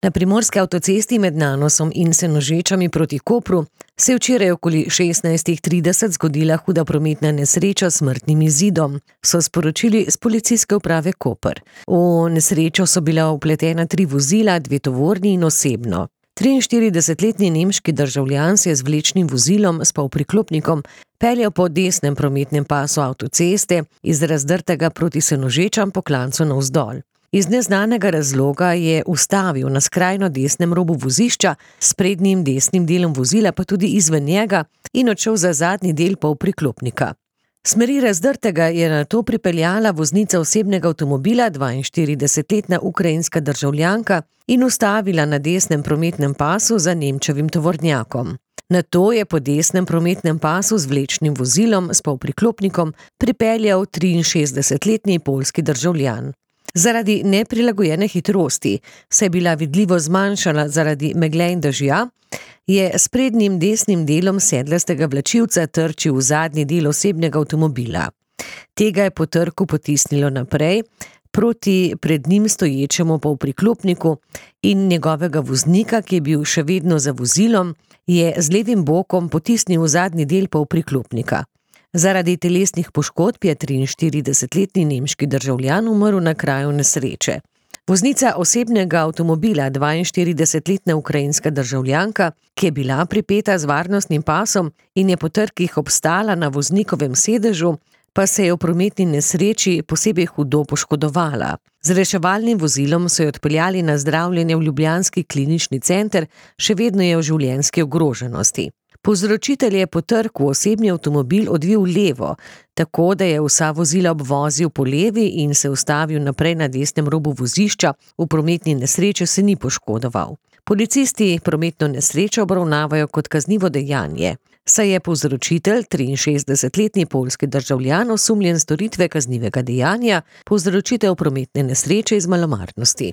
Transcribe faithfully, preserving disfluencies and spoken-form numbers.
Na primorski avtocesti med Nanosom in Senožečami proti Kopru se je včeraj okoli šestnajst trideset zgodila huda prometna nesreča s smrtnim izidom, so sporočili s Policijske uprave Koper. V nesrečo so bila vpletena tri vozila, dve tovorni in osebno. triinštiridesetletni nemški državljan se je z vlečnim vozilom s polpriklopnikom peljal po desnem prometnem pasu avtoceste iz Razdrtega proti Senožečam po klancu navzdol. Iz neznanega razloga je ustavil na skrajno desnem robu vozišča, s prednjim desnim delom vozila pa tudi izven njega in odšel za zadnji del polpriklopnika. Smeri Razdrtega je nato pripeljala voznica osebnega avtomobila, dvainštiridesetletna ukrajinska državljanka, in ustavila na desnem prometnem pasu za Nemčevim tovornjakom. Nato je po desnem prometnem pasu z vlečnim vozilom s polpriklopnikom pripeljal triinšestdesetletni poljski državljan. Zaradi neprilagojene hitrosti, saj je bila vidljivo zmanjšana zaradi megle in dežja, je s prednjim desnim delom sedlastega vlačilca trčil v zadnji del osebnega avtomobila. Tega je po trku potisnilo naprej proti pred njim stoječemu polpriklopniku in njegovega voznika, ki je bil še vedno za vozilom, je z levim bokom potisnil v zadnji del polpriklopnika. Zaradi telesnih poškodb je triinštiridesetletni nemški državljan umrl na kraju nesreče. Voznica osebnega avtomobila, dvainštiridesetletna ukrajinska državljanka, ki je bila pripeta z varnostnim pasom in je po trkih obstala na voznikovem sedežu, pa se je v prometni nesreči posebej hudo poškodovala. Z reševalnim vozilom so jo odpeljali na zdravljenje v ljubljanski klinični center, še vedno je v življenjski ogroženosti. Povzročitelj je po trku osebni avtomobil odvil levo, tako da je vsa vozila obvozil po levi in se ustavil naprej na desnem robu vozišča, v prometni nesreči se ni poškodoval. Policisti prometno nesrečo obravnavajo kot kaznivo dejanje, saj je povzročitelj, triinšestdesetletni poljski državljan, osumljen storitve kaznivega dejanja, povzročitev prometne nesreče iz malomarnosti.